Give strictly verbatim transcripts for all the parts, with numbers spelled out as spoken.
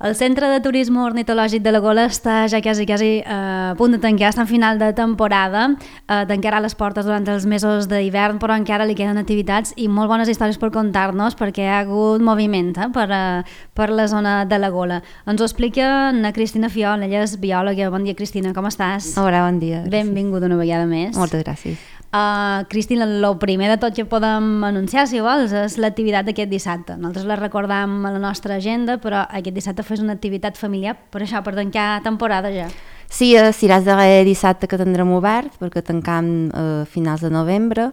El Centre de Turisme Ornitològic de la Gola està ja quasi, quasi eh, a punt de tancar, està en final de temporada, eh, tancarà les portes durant els mesos d'hivern, però encara li queden activitats i molt bones històries per contar-nos, perquè hi ha hagut moviment eh, per, eh, per la zona de la Gola. Ens ho explica na Cristina Fiol, ella és biòloga. Bon dia, Cristina, com estàs? Hola, bon dia. Benvinguda una vegada més. Moltes gràcies. Uh, Cristina, el primer de tot que podem anunciar, si vols, és l'activitat d'aquest dissabte. Nosaltres la recordam a la nostra agenda, però aquest dissabte fes una activitat familiar, per això, per tancar temporada ja. Sí, serà el darrer dissabte que tindrem obert, perquè tancam a finals de novembre,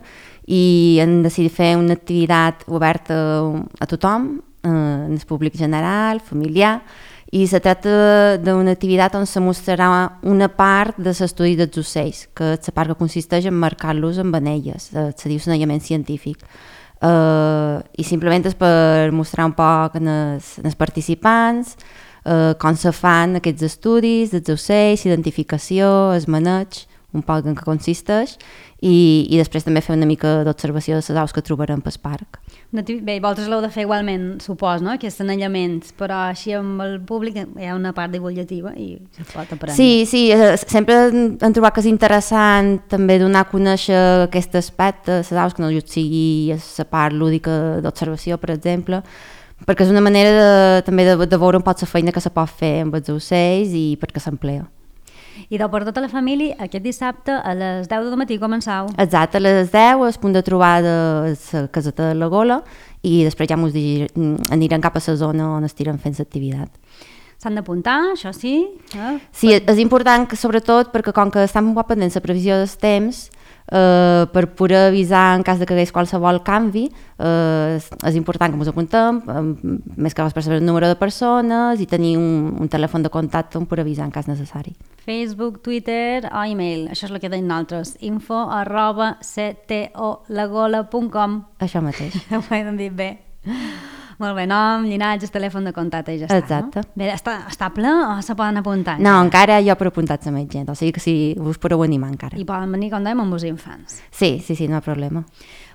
i hem decidit fer una activitat oberta a tothom, en el públic general, familiar, i se tracta d'una activitat on se mostrarà una part de l'estudi dels ocells, que és la part que consisteix en marcar-los amb anelles, se diu l'anellament científic. Uh, I simplement és per mostrar un poc en els, en els participants uh, com se fan aquests estudis dels ocells, identificació, el maneig, un poc en què consisteix, i, i després també fer una mica d'observació de les aus que trobarem pel parc. Bé, vosaltres l'heu de fer igualment, supos, no?, aquests anellaments, però així amb el públic hi ha una part divulgativa i se pot aprendre. Sí, sí, sempre hem trobat que és interessant també donar a conèixer aquest aspecte, les aus, que no just sigui la part lúdica d'observació, per exemple, perquè és una manera de, també de, de veure un poc la feina que se pot fer amb els ocells i perquè s'emplea. I per tota la família, aquest dissabte a les deu del matí començau. Exacte, a les deu, el punt de trobada és la caseta de la Gola, i després ja ens anirem cap a la zona on estirem fent l'activitat. S'han d'apuntar, això sí? Eh? Sí, és important que, sobretot, perquè com que estem molt pendents la previsió dels temps, eh, per poder avisar en cas de que hi hagués qualsevol canvi, eh, és important que ens apuntem, eh, més que res per saber el número de persones i tenir un, un telèfon de contacte on per avisar en cas necessari. Facebook, Twitter o e-mail, això és el que tenim nosaltres, info arroba ctolagola punt com. Això mateix. Ho hem dit bé. Molt bé, nom, llinatge, telèfon de contacte i ja està. Exacte. No? Bé, està, està ple o se poden apuntar? No, ja? Encara hi ha per apuntar-se més gent, o sigui que si us podeu animar encara. I poden venir, com dèiem, amb els infants. Sí, sí, sí, no hi ha problema.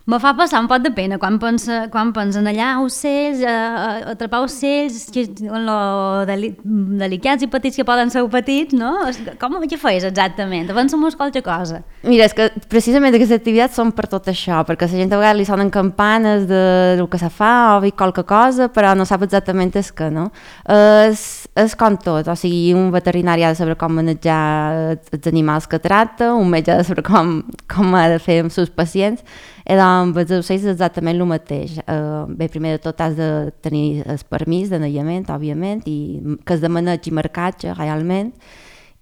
Me fa passar un pot de pena quan, pensa, quan pensen allà ocells, a, a atrapar ocells que, lo deli, delicats i petits que poden ser petits, no? Com què feies exactament? Avança-mos qualque cosa. Mira, és que precisament aquestes activitats són per tot això, perquè a la gent a vegades li sonen campanes de, del que se fa o ve qualque cosa, però no sap exactament el que, no? És, és com tot, o sigui, un veterinari ha de saber com manejar els animals que tracta, un metge ha de saber com, com ha de fer amb els seus pacients, i doncs els ocells és exactament el mateix. Uh, bé, primer de tot has de tenir el permís d'anellament, òbviament, i que és de maneig i marcatge, realment,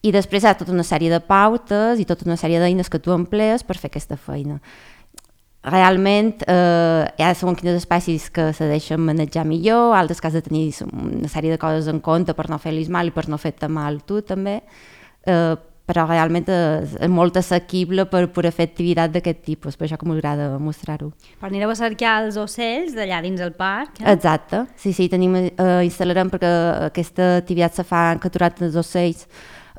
i després hi ha tota una sèrie de pautes i tota una sèrie d'eines que tu emplees per fer aquesta feina. Realment eh, hi ha segons quines espècies que se deixen manejar millor, altres que has de tenir una sèrie de coses en compte per no fer-los mal i per no fer-te mal tu també, eh, però realment és, és molt assequible per poder fer activitat d'aquest tipus, per això que m'agrada mostrar-ho. Però anireu a cercar els ocells d'allà dins el parc? Eh? Exacte, sí, sí, tenim, eh, instal·larem perquè aquesta activitat se fa capturat els ocells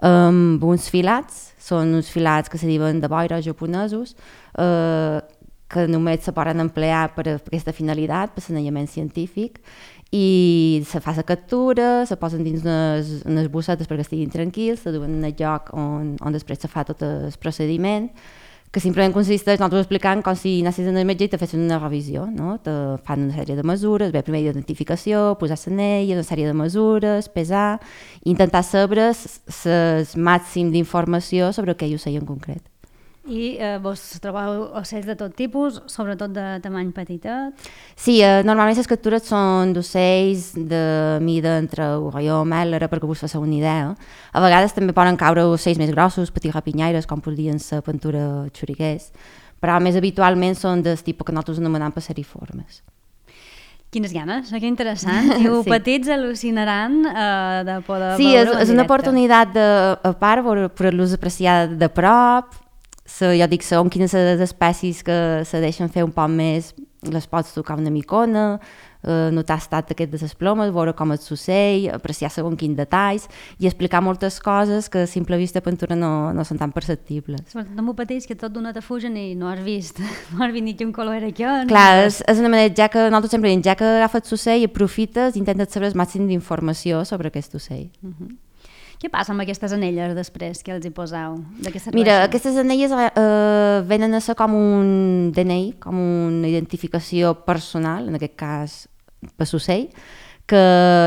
amb uns filats, són uns filats que se diuen de boira japonesos, eh, que només se poden emplear per a aquesta finalitat, per l'anellament científic, i se fa la captura, se posen dins unes, unes bossetes perquè estiguin tranquils, se duen en el lloc on, on després se fa tot el procediment, que simplement consisteix, nosaltres explicant com si anessis al metge i te fessin una revisió, no? Te fan una sèrie de mesures, bé, primer identificació, posar l'anella, una sèrie de mesures, pesar, i intentar saber el màxim d'informació sobre aquell ocell en concret. I eh, vos trobeu ocells de tot tipus, sobretot de tamany petitet? Sí, eh, normalment les captures són d'ocells de mida entre gorrió o mèlera, perquè vos fasseu una idea. A vegades també poden caure ocells més grossos, petits rapinyaires, com podrien ser pintura xuriguers, però més habitualment són del tipus que nosaltres anomenem passeriformes. Quines ganes, que interessant. Diu, sí. Petits al·lucinaran eh, de poder sí, veure-ho en directe. Sí, és una oportunitat de, a part poder-los apreciar de prop. So, jo dic, són quines les espècies que se deixen fer un poc més, les pots tocar una micona, eh, notar l'estat aquest de les plomes, veure com és l'ocell, apreciar segons quins detalls i explicar moltes coses que a simple vista a pintura no, no són tan perceptibles. No m'ho pateix que tot d'una te fugen i no has vist, no has vist ni quin color era aquest. Clar, és, és una manera, ja que nosaltres sempre diem, ja que agafes l'ocell i aprofites, intentes saber el màxim d'informació sobre aquest ocell. Uh-huh. Què passa amb aquestes anelles després que els hi poseu? De què serveixen? Mira, aquestes anelles eh, venen a ser com un D N I, com una identificació personal, en aquest cas per l'ocell, que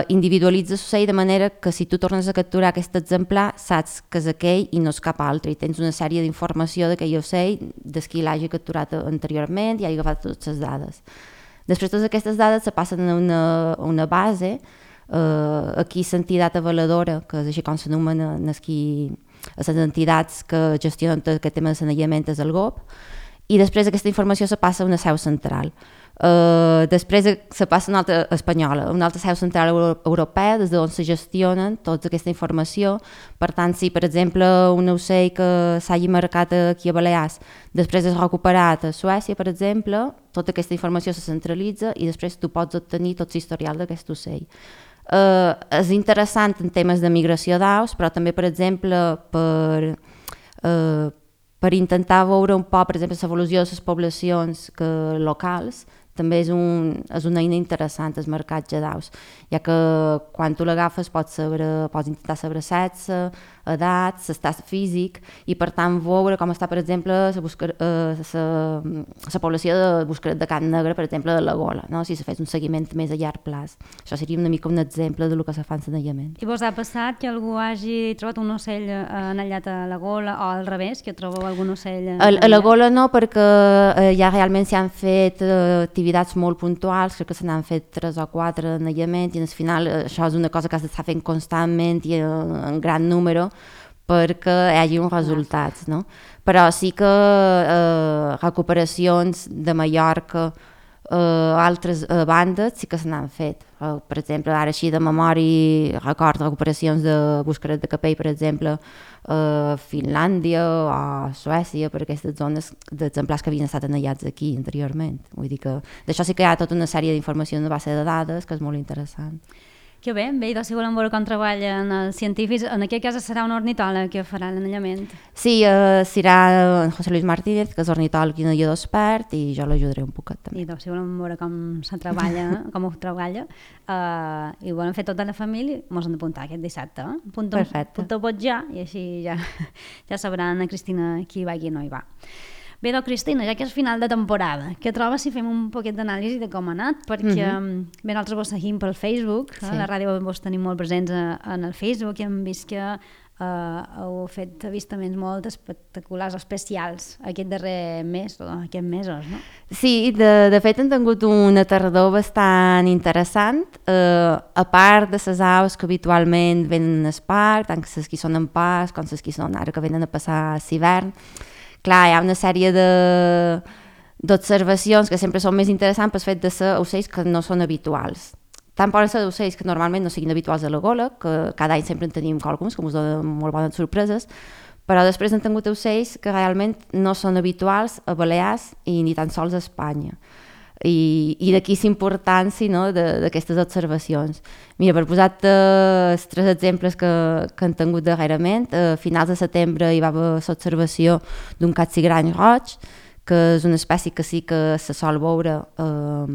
individualitza l'ocell de manera que si tu tornes a capturar aquest exemplar saps que és aquell i no és cap altre i tens una sèrie d'informació d'aquell ocell des qui l'hagi capturat anteriorment i hagi agafat totes les dades. Després totes aquestes dades se passen a una, a una base. Uh, aquí l'entitat avaladora, que és així com s'anomena les entitats que gestionen aquest tema de l'anellament és el G O P, i després aquesta informació se passa a una seu central. Uh, després se passa a una altra espanyola, una altra seu central europea, des d'on se gestionen tota aquesta informació. Per tant, si per exemple un ocell que s'hagi marcat aquí a Balears després és recuperat a Suècia, per exemple, tota aquesta informació se centralitza i després tu pots obtenir tot l'historial d'aquest ocell. Uh, és interessant en temes de migració d'aus, però també, per exemple, per, uh, per intentar veure un poc, per exemple, l'evolució de les poblacions que, locals, també és, un, és una eina interessant el marcatge d'aus, ja que quan tu l'agafes pots, saber, pots intentar saber sexe, edat, l'estat físic, i per tant veure com està, per exemple, la població de buscaret de Can Negre, per exemple, de la Gola, no? Si se fes un seguiment més a llarg plaç. Això seria una mica un exemple de lo que se fa en l'anellament. I vos ha passat que algú hagi trobat un ocell anellat a la Gola o al revés, que trobeu algun ocell anellat? A la Gola no, perquè eh, ja realment s'hi han fet eh, activitats molt puntuals, crec que se n'han fet tres o quatre anellaments i al final eh, això és una cosa que has d'estar fent constantment i en, en gran número perquè hi hagi uns resultats, no? Però sí que eh, recuperacions de Mallorca, eh, altres eh, bandes sí que se n'han fet. Eh, per exemple, ara així de memòria record recuperacions de Buscaret de Capell, per exemple, a eh, Finlàndia o Suècia, per aquestes zones d'exemplars que havien estat anellats aquí anteriorment. Vull dir que d'això sí que hi ha tota una sèrie d'informació en una base de dades que és molt interessant. Que bé, bé, i si volen veure com treballen els científics, en aquest cas serà un ornitòleg que farà l'anellament. Sí, eh, serà en José Luis Martínez, que és ornitòleg i anellador expert, i jo l'ajudaré un poquet també. I doncs, si volen veure com se treballa, com ho treballa, eh, i volen fer tota la família, mos han d'apuntar aquest dissabte. Eh? Apunteu, Perfecte. Apunteu pot ja, i així ja, ja sabran a Cristina qui va i qui no hi va. Bé, doncs, Cristina, ja que és final de temporada, què trobes si fem un poquet d'anàlisi de com ha anat? Perquè mm-hmm. bé, nosaltres vos seguim pel Facebook, sí. eh? La ràdio vos tenim molt presents a, en el Facebook i hem vist que eh, heu fet avistaments molt espectaculars, especials, aquest darrer mes, o aquests mesos, no? Sí, de, de fet hem tingut una tardor bastant interessant, eh, a part de les aus que habitualment venen al parc, tant les que són en pas com les que són ara que venen a passar l'hivern. Clar, hi ha una sèrie de, d'observacions que sempre són més interessants pel fet de ser ocells que no són habituals. Tant poden ser ocells que normalment no siguin habituals a la Gola, que cada any sempre en tenim alguns, que ens donen molt bones sorpreses, però després han tingut ocells que realment no són habituals a Balears i ni tan sols a Espanya. I, i d'aquí la importància, no, d'aquestes observacions. Mira, per posar-te els tres exemples que, que han tingut darrerament, a finals de setembre hi va haver l'observació d'un capsigrany roig, que és una espècie que sí que se sol veure eh,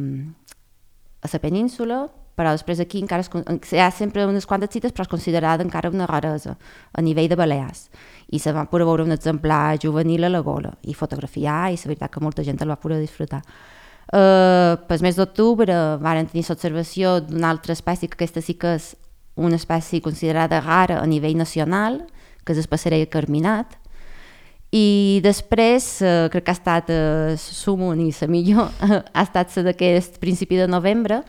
a la península, però després aquí encara es, hi ha sempre unes quantes cites, però és considerada encara una raresa a nivell de Balears. I se va poder veure un exemplar juvenil a la Gola i fotografiar, i la veritat que molta gent el va poder disfrutar. Uh, pel mes d'octubre varen tenir l'observació d'una altra espècie, que aquesta sí que és una espècie considerada rara a nivell nacional, que és el passerell carminat, i després uh, crec que ha estat uh, sumon i la millor ha estat la d'aquest principi de novembre,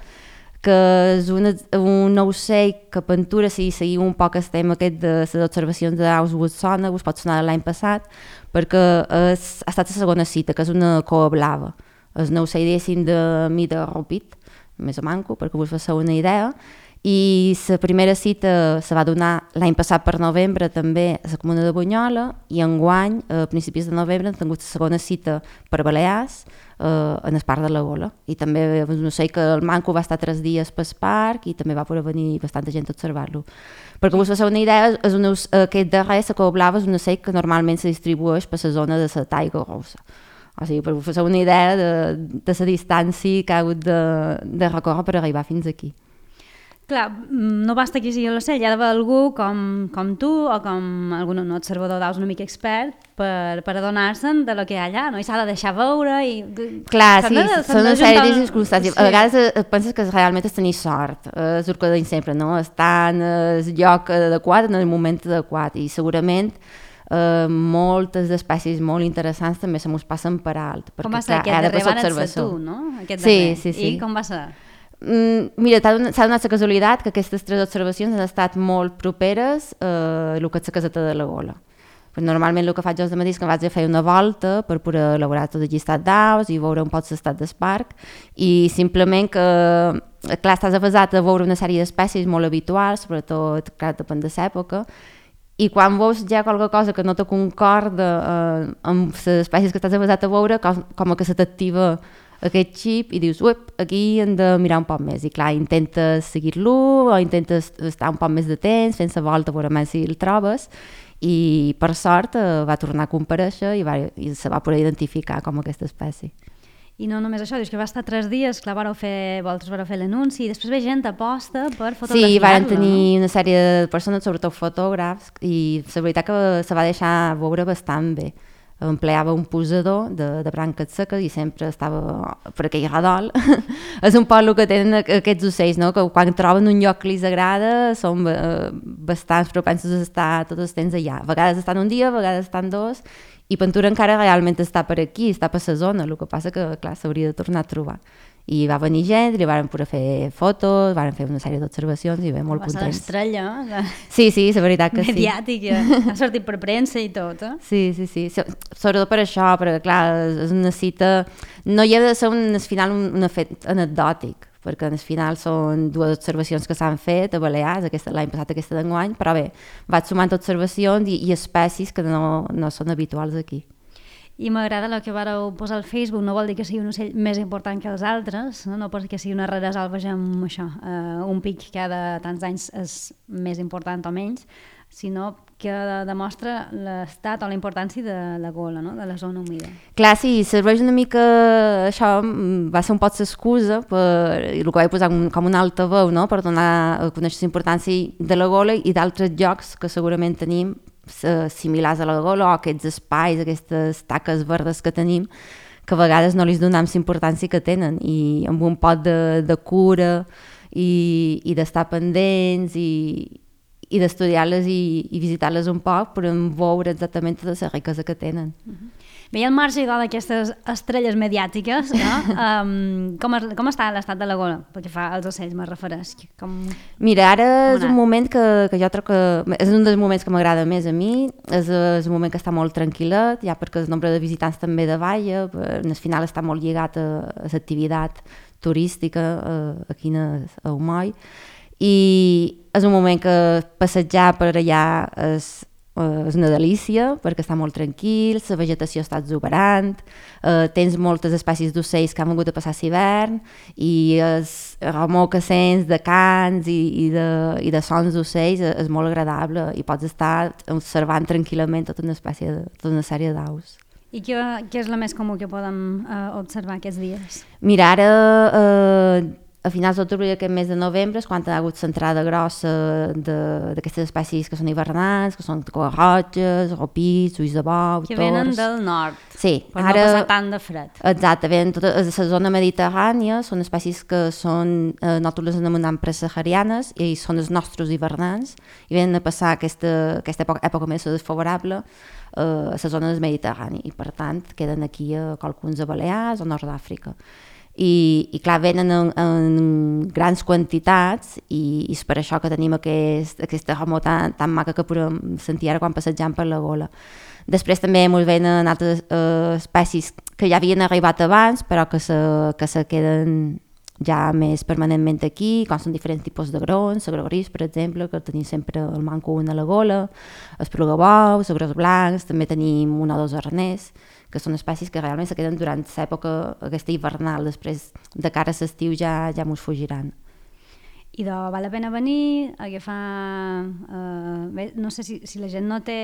que és una, un ocell que pintura, si seguim un poc el tema aquest de les observacions d'aus us sona, us pot sonar de l'any passat, perquè és, ha estat la segona cita, que és una coa blava. És un ocell diguéssim de mida rupit, més o manco, perquè us faci una idea, i la primera cita se va donar l'any passat per novembre també a la comuna de Bunyola, i enguany, a principis de novembre, hem tingut la segona cita per Balears, eh, en el parc de la Gola. I també no sé que el manco va estar tres dies pel parc i també va poder venir bastanta gent a observar-lo. Perquè vos feu una idea, és una, aquest darrer, la Cova Blava, és un ocell que normalment se distribueix per la zona de la Taiga Rossa. O sigui, per vos feu una idea de, de la distància que ha hagut de, de recórrer per arribar fins aquí. Clar, no basta que sigui l'ocell, hi ha d'haver algú com, com tu o com algun un observador d'aus una mica expert per, per adonar-se'n de lo que hi ha allà, no? I s'ha de deixar veure i... Clar, sí, de, són una sèrie de circumstàncies. Sí. A vegades penses que realment és tenir sort, és el que deim sempre, no? Estar en el lloc adequat, en el moment adequat, i segurament eh, moltes espècies molt interessants també se mos passen per alt. Com va ser clar, aquest darrer van ser tu, no? Aquest sí, darrer. sí, sí. I com va ser? Mm, mira, s'ha donat la casualitat que aquestes tres observacions han estat molt properes a el que és la caseta de la Gola. Però normalment el que faig els matins és que vaig a fer una volta per poder elaborar tot el llistat d'aus i veure un poc l'estat del parc i simplement que, clar, estàs avasat a veure una sèrie d'espècies molt habituals, sobretot, clar, depèn de l'època, i quan veus ja qualque cosa que no te concorda eh, amb les espècies que estàs avasat a veure, com, com que se t'activa aquest xip i dius, uep, aquí hem de mirar un poc més. I clar, intentes seguir-lo o intentes estar un poc més de temps fent la volta a veure més si el trobes i per sort eh, va tornar a comparèixer i, va, i se va poder identificar com aquesta espècie. I no només això, dius que va estar tres dies, clar, vareu fer, vosaltres vareu fer l'anunci i després ve gent aposta per fotografiar-lo. Sí, van tenir una sèrie de persones, sobretot fotògrafs, i la veritat que se va deixar veure bastant bé. Empleava un posador de, de branques seques i sempre estava per aquell redol. És un poc el que tenen aquests ocells, no? Que quan troben un lloc que els agrada són eh, bastants propensos a estar tot el temps allà. A vegades estan un dia, a vegades estan dos, i Ventura encara realment està per aquí, està per la zona, el que passa que, clar, s'hauria de tornar a trobar. I va venir gent, li van poder fer fotos, van fer una sèrie d'observacions i bé, molt contents. Va ser l'estrella, eh? Sí, sí, la veritat que mediàtica. Sí. Ha sortit per premsa i tot, eh? Sí, sí, sí. Sobretot per això, perquè clar, és una cita... No hi ha de ser un, al final un, un fet anecdòtic, perquè al final són dues observacions que s'han fet a Balears, l'any passat, aquesta d'enguany, però bé, vaig sumant observacions i, i espècies que no, no són habituals aquí. I m'agrada el que vareu posar al Facebook, no vol dir que sigui un ocell més important que els altres, no, no perquè sigui una rara salvatge amb això, uh, un pic cada tants anys és més important o menys, sinó que demostra l'estat o la importància de la Gola, no? De la zona humida. Clar, sí, serveix una mica, això va ser un poc l'excusa, per, i el que vaig posar com un altaveu, no? Per donar a conèixer la importància de la Gola i d'altres llocs que segurament tenim similars a la Gola, o aquests espais, aquestes taques verdes que tenim, que a vegades no li donem la importància que tenen, i amb un pot de, de cura i, i d'estar pendents i, i d'estudiar-les i, i visitar-les un poc per veure exactament tota la riquesa que tenen. Uh-huh. Bé, al marge d'aquestes estrelles mediàtiques, no? um, com, es, com està l'estat de la Gola? Perquè fa els ocells, me refereix. Com... Mira, ara és un moment que, que jo trobo que... És un dels moments que m'agrada més a mi, és, és un moment que està molt tranquil·let, ja perquè el nombre de visitants també davalla, al final està molt lligat a, a l'activitat turística a, aquí a, a Humoi, i és un moment que passejar per allà és... és una delícia perquè està molt tranquil, la vegetació està exuberant, eh, tens moltes espècies d'ocells que han vingut a passar l'hivern i el remor que sents de cants i, i, de, i de sons d'ocells és molt agradable i pots estar observant tranquil·lament tota una, espècie de, tota una sèrie d'aus. I què, què és la més comú que podem eh, observar aquests dies? Mira, ara... Eh, a finals d'octubre i aquest mes de novembre és quan ha hagut l'entrada grossa d'aquestes espècies que són hivernants, que són coarroges, ropits, ulls de bou, que tors... venen del nord, sí, per ara, no passar tant de fred. Exacte, venen tota la zona mediterrània, són espècies que són, eh, nosaltres les anomenem presaharianes i són els nostres hivernants i venen a passar aquesta, aquesta època, època més desfavorable eh, a la zona del Mediterrani i per tant queden aquí a qualcuns a Balears o Nord d'Àfrica. I, i clar, venen en, en grans quantitats i, i és per això que tenim aquest, aquesta remor tan, tan maca que podem sentir ara quan passegem per la Gola. Després també ens venen altres eh, espècies que ja havien arribat abans però que se, que se queden ja més permanentment aquí, com són diferents tipus de grons, el gros gris, per exemple, que tenim sempre el manco un a la gola, el plugabou, els gros blancs, també tenim un o dos arners, que són espècies que realment se queden durant l'època aquesta hivernal, després de cara a l'estiu ja, ja mos fugiran. I de, val la pena venir, agafar... Eh, bé, no sé si, si la gent no té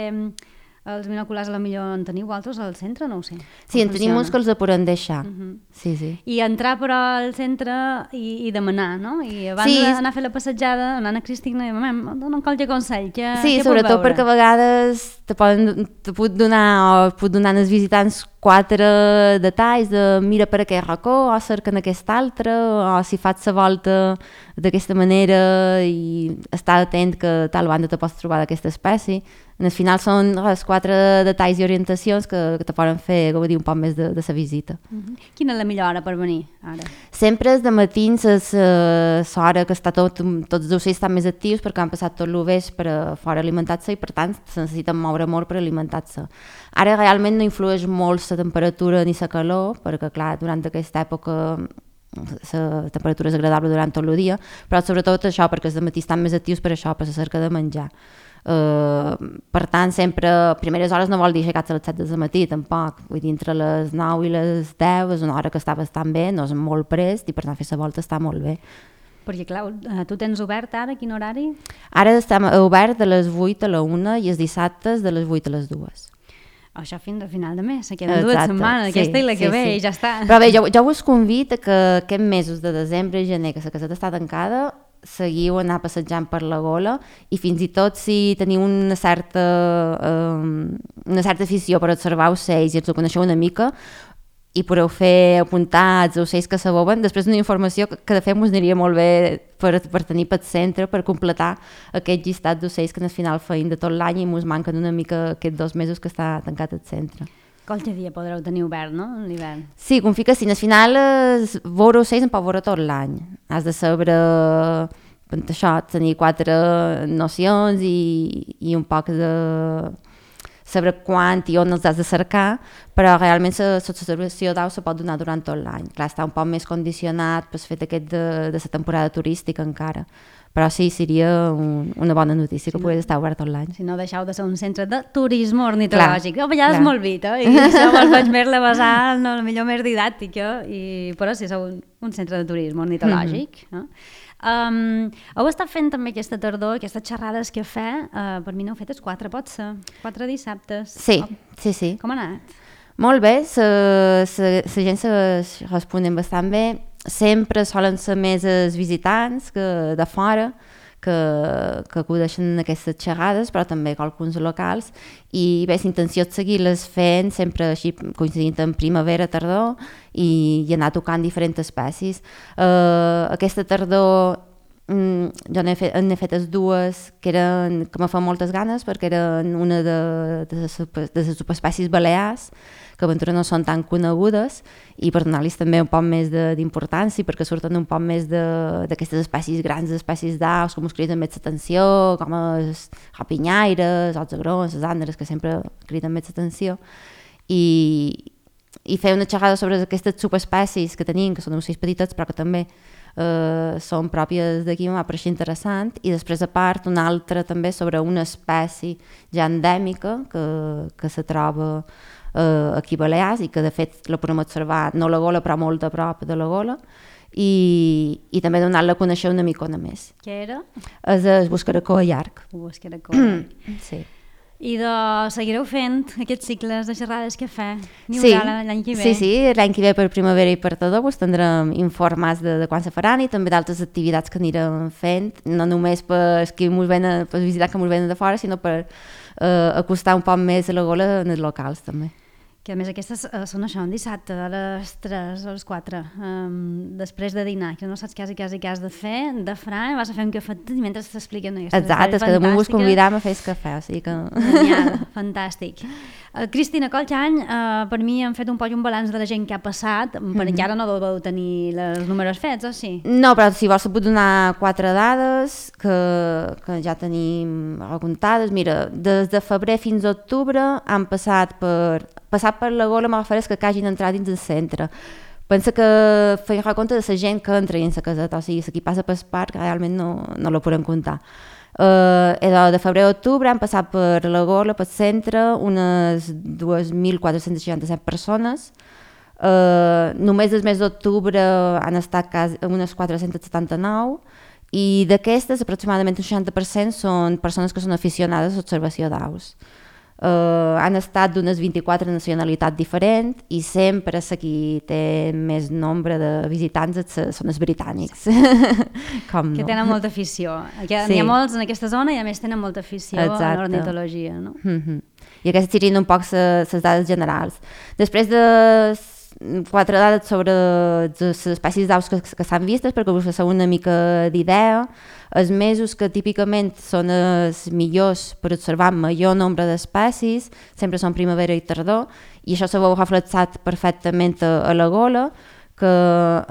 els binoculars, a la millor en teniu altres al centre, no ho sé. Sí, en tenim uns que els podem deixar. Uh -huh. Sí, sí. I entrar però al centre i, i demanar, no? I abans sí. d'anar a fer la passejada, l'Anna Cristina, mam, dona qualque consell. Que, sí, què sobretot perquè a vegades te, poden, te pot donar o pot donar als visitants quatre detalls de mira per aquest racó o cerca en aquest altre, o si fas la volta d'aquesta manera i estar atent que tal banda te pots trobar d'aquesta espècie. Al final són els quatre detalls i orientacions que, que te poden fer gaudir un poc més de, de la visita. Uh-huh. Quina és la millor hora per venir ara? Sempre és de matins, és l'hora que està tot, tots els ocells estan més actius perquè han passat tot el vespre fora alimentar-se i per tant se necessiten moure molt per alimentar-se. Ara realment no influeix molt la temperatura ni la calor, perquè clar, durant aquesta època la temperatura és agradable durant tot el dia, però sobretot això perquè els matí estan més actius per això, per la cerca de menjar. Uh, per tant, sempre a primeres hores no vol dir aixecar-se a les set del matí, tampoc. Vull dir, entre les nou i les deu és una hora que està bastant bé, no és molt prest i per tant fer la volta està molt bé. Perquè clar, tu tens obert ara, quin horari? Ara estem obert de les vuit a la una i els dissabtes de les vuit a les dues. Això fins al final de mes, se queden dues setmanes, sí, aquesta i la que sí, ve sí. I ja està. Però bé, jo, jo us convido que aquests mesos de desembre i gener, que la caseta està tancada, seguiu anar passejant per la Gola i fins i tot si teniu una certa, um, una certa afició per observar ocells i els ho coneixeu una mica i podeu fer apuntar els ocells que s'aboben, després una informació que, que de fet us aniria molt bé per, per tenir pel centre, per completar aquest llistat d'ocells que al final feim de tot l'any i ens manquen una mica aquests dos mesos que està tancat el centre. Qualque dia podreu tenir obert, no?, l'hivern. Sí, com fica, si al final es, veure ocells en pot veure tot l'any. Has de saber això, tenir quatre nocions i, i un poc de saber quan i on els has de cercar, però realment l'observació d'au se pot donar durant tot l'any. Clar, està un poc més condicionat pel fet aquest de, de la temporada turística encara. Però sí, seria un, una bona notícia que sí, pogués estar obert tot l'any. Si no deixeu de ser un centre de turisme ornitològic. A vegades clar. Molt vit, eh? I això me'l faig més la basal, no, la millor més didàctica, i, però sí, sou un, un centre de turisme ornitològic. Mm-hmm. eh? Um, heu estat fent també aquesta tardor, aquestes xerrades que fe, uh, per mi n'heu fetes quatre, pot ser? Quatre dissabtes. Sí, oh. sí, sí. Com ha anat? Molt bé, la gent se responen bastant bé. Sempre solen ser més els visitants que de fora que, que acudeixen aquestes xerrades, però també alguns locals, i bé, l'intenció és seguir-les fent sempre així coincidint en primavera, tardor, i, i anar tocant diferents espècies. Uh, aquesta tardor mm, jo n'he fet, n'he fetes dues que, eren, que me fan moltes ganes perquè eren una de, de, les, de les subespècies balears, que aventura no són tan conegudes i per donar-los també un poc més d'importància perquè surten un poc més d'aquestes espècies grans, espècies d'aus, com us criden més l'atenció, com els rapinyaires, els agrons, les ànderes, que sempre criden més l'atenció. I, i fer una xerrada sobre aquestes subespècies que tenim, que són ocells petitets però que també eh, són pròpies d'aquí, m'ha pareixit interessant, i després a part una altra també sobre una espècie ja endèmica que, que se troba Uh, aquí a Balears i que de fet la podem observar no a la Gola però molt a prop de la Gola i, i també donar-la a conèixer una micona més. Què era? És el buscaracó llarg. El buscaracó llarg. Sí. I de, seguireu fent aquests cicles de xerrades que fa? N'hi sí. haurà l'any que ve? Sí, sí, l'any que ve per primavera i per tardor vos tindrem informats de, de quan se faran i també d'altres activitats que anirem fent, no només per qui mos venen, per visitar que mos venen de fora, sinó per uh, acostar un poc més a la Gola en els locals també. Que a més aquestes uh, són això, un dissabte a les tres o les quatre, um, després de dinar, que no saps quasi, quasi què has de fer, de fra, vas a fer un cafet i mentre t'expliquen aquestes exacte, és que damunt vos convidam a fer el cafè, o sigui que... Genial, fantàstic. Uh, Cristina, qualque any, uh, per mi han fet un poc un balanç de la gent que ha passat, mm-hmm. perquè encara no deveu tenir els números fets, o sí? No, però si vols puc donar quatre dades que, que ja tenim recomptades. Mira, des de febrer fins a octubre han passat per... Passat per la Gola m'agafaràs que hagin entrat dins el centre. pensa que feien recompte de la gent que entra en la caseta, o sigui, la qui passa pel parc realment no, no la podem comptar. Uh, de, de febrer a octubre han passat per la Gola, pel centre, unes dos mil quatre-cents seixanta-set persones. Uh, només el mes d'octubre han estat quasi unes quatre-cents setanta-nou i d'aquestes aproximadament un seixanta per cent són persones que són aficionades a l'observació d'aus. Uh, han estat d'unes vint-i-quatre nacionalitats diferents i sempre la qui té més nombre de visitants són els britànics. Com no? Que tenen molta afició. N'hi Sí. ha molts en aquesta zona i a més tenen molta afició Exacte. a l'ornitologia. No? Mm-hmm. I aquestes serien un poc les dades generals. Després de quatre dades sobre les espècies d'aus que, que s'han vistes, perquè us feu una mica d'idea. Els mesos que típicament són els millors per observar major nombre d'espècies sempre són primavera i tardor, i això se veu reflexat perfectament a, a la Gola, que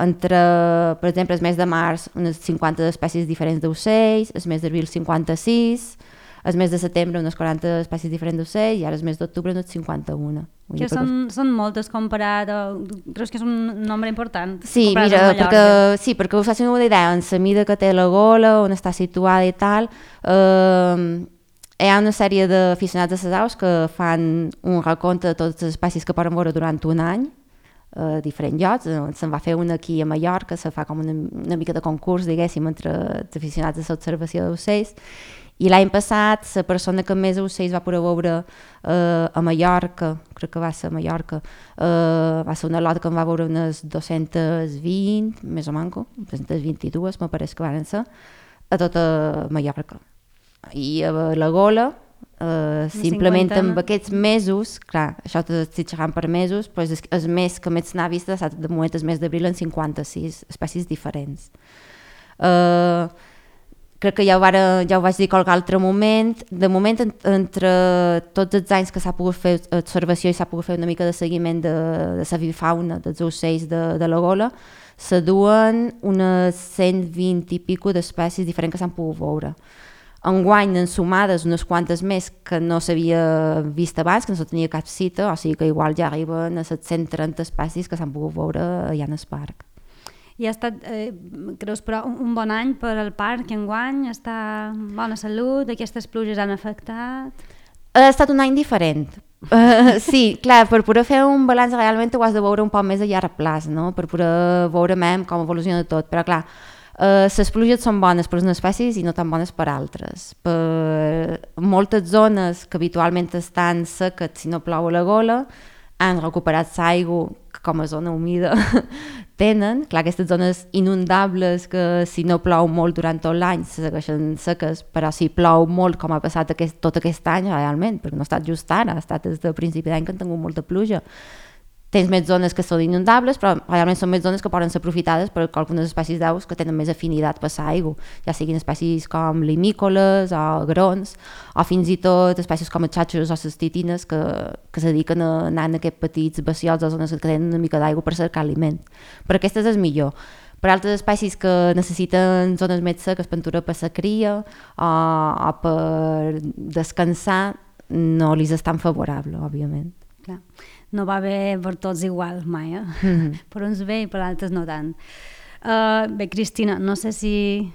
entre, per exemple, el mes de març unes cinquanta espècies diferents d'ocells, el mes d'abril cinquanta-sis, el mes de setembre unes quaranta espècies diferents d'ocells i ara el mes d'octubre unes cinquanta-una. Que són, són moltes comparat, o, creus que és un nombre important? Sí, mira, perquè, sí, perquè us facin una idea, en la mida que té la Gola, on està situada i tal, eh, hi ha una sèrie d'aficionats a les aus que fan un recompte de totes les espècies que poden veure durant un any, a diferents llocs. Se'n va fer una aquí a Mallorca, se fa com una, una mica de concurs, diguéssim, entre els aficionats a l'observació d'ocells. I l'any passat la persona que més ocells va poder veure eh, a Mallorca, crec que va ser a Mallorca, eh, va ser una lota que en va veure unes dos-cents vint, més o manco, dos-cents vint-i-dues, me pareix que van ser, a tota Mallorca. I a la Gola, eh, simplement amb aquests mesos, clar, això t'estic xerrant per mesos, però és el mes que més n'ha vist ha estat de moment el mes d'abril en cinquanta-sis espècies diferents. Eh... Crec que ja ho, vara, ja ho vaig dir qualque altre moment. De moment, en, entre tots els anys que s'ha pogut fer observació i s'ha pogut fer una mica de seguiment de, de la fauna, dels ocells de, de la Gola, se duen unes cent vint i pico d'espècies diferents que s'han pogut veure. Enguany en sumades unes quantes més que no s'havia vist abans, que no se tenia cap cita, o sigui que igual ja arriben a set cents trenta espècies que s'han pogut veure allà en el parc. I ha estat, eh, creus, però un bon any per al parc enguany? Està en bona salut? Aquestes pluges han afectat? Ha estat un any diferent. Uh, sí, clar, per poder fer un balanç realment ho has de veure un poc més a llarg plaç, no? Per poder veure més com evoluciona tot, però clar, uh, les pluges són bones per unes espècies i no tan bones per altres. Per moltes zones que habitualment estan seques si no plou a la Gola, han recuperat l'aigua que com a zona humida tenen. Clar, aquestes zones inundables que si no plou molt durant tot l'any segueixen seques, però si plou molt com ha passat aquest, tot aquest any realment, perquè no ha estat just ara, ha estat des del principi d'any que han tingut molta pluja. Tens més zones que són inundables, però realment són més zones que poden ser aprofitades per algunes espècies d'aus que tenen més afinitat per l'aigua, ja siguin espècies com limícoles o agrons, o fins i tot espècies com els xàxeros o les titines que, que se dediquen a anar en aquests petits bassiots o zones que tenen una mica d'aigua per cercar aliment. Per aquestes és millor. Per altres espècies que necessiten zones més seques per aturar per la cria o, o per descansar, no li és tan favorable, òbviament. Clar. No va bé per tots igual mai, eh? Mm-hmm. Per uns bé i per altres no tant. Uh, bé, Cristina, no sé si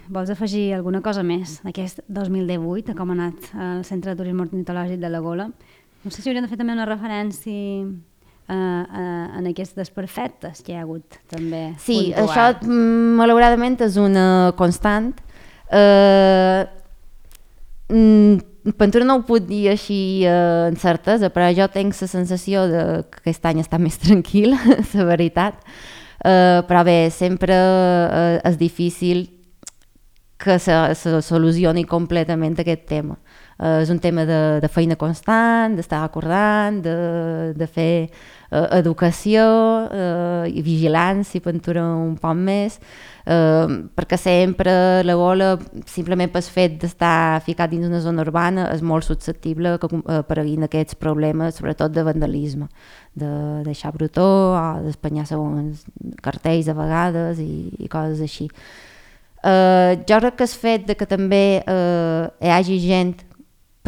vols afegir alguna cosa més d'aquest dos mil divuit, a com ha anat el Centre de Turisme Ornitològic de la Gola. No sé si hauríem de fer també una referència uh, uh, en aquests desperfectes que hi ha hagut també. Sí, puntual. Això malauradament és una constant. Uh, mm, Pintura no ho puc dir així eh, en certesa, però jo tinc la sensació de que aquest any està més tranquil, la veritat. Uh, però bé, sempre uh, és difícil que se, se solucioni completament aquest tema. Uh, és un tema de, de feina constant, d'estar recordant, de, de fer uh, educació uh, i vigilància, pintura un poc més, uh, perquè sempre la Gola, simplement pel fet d'estar ficat dins una zona urbana, és molt susceptible que apareguin aquests problemes, sobretot de vandalisme, de deixar brutó o d'espanyar segons cartells a vegades i, i coses així. Uh, jo crec que el fet de que també uh, hi hagi gent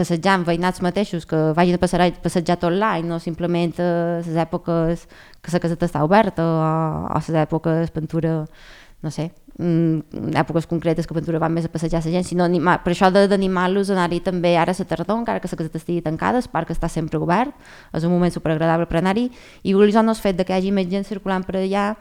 passejant, veïnats mateixos que vagin a passejar, passejar tot l'any, no simplement a les èpoques que la caseta està oberta o a les èpoques Ventura, no sé, en èpoques concretes que Ventura van més a passejar la gent, sinó animar, per això d'animar-los a anar-hi també ara a la tardor, encara que la caseta estigui tancada, el parc està sempre obert, és un moment superagradable per anar-hi, i el fet de que hi hagi més gent circulant per allà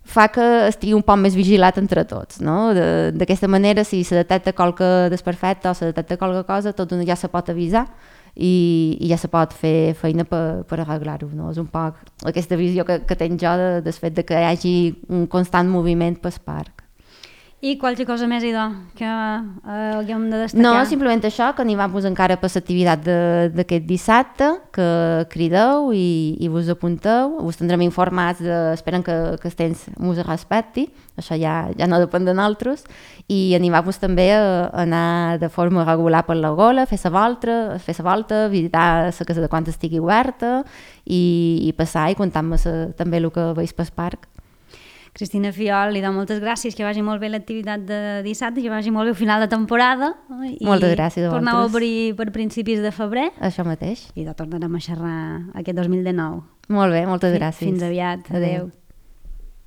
fa que estigui un poc més vigilat entre tots, no? D'aquesta manera, si se detecta qualque desperfecte o se detecta qualque cosa, tot ja se pot avisar i, i ja se pot fer feina per, per arreglar-ho, no? És un poc aquesta visió que, que tenc jo de, del fet de que hi hagi un constant moviment pel parc. I qualque cosa més, idò, que eh, haguem de destacar? No, simplement això, que animam-vos encara per l'activitat d'aquest dissabte, que crideu i, i vos apunteu, us tindrem informats, de, esperen que, que el temps us respecti, això ja, ja no depèn de nosaltres, i animar-vos també a, a anar de forma regular per la gola, fer la volta, fer la volta, visitar la casa de quan estigui oberta i, i passar i contar-me també el que veus pel parc. Cristina Fiol, li dono moltes gràcies, que vagi molt bé l'activitat de dissabte, que vagi molt bé el final de temporada. I moltes gràcies a vosaltres. Torneu a obrir per principis de febrer. Això mateix. I de tornarem a xerrar aquest dos mil dinou. Molt bé, moltes gràcies. Fins aviat. Adéu. Adéu.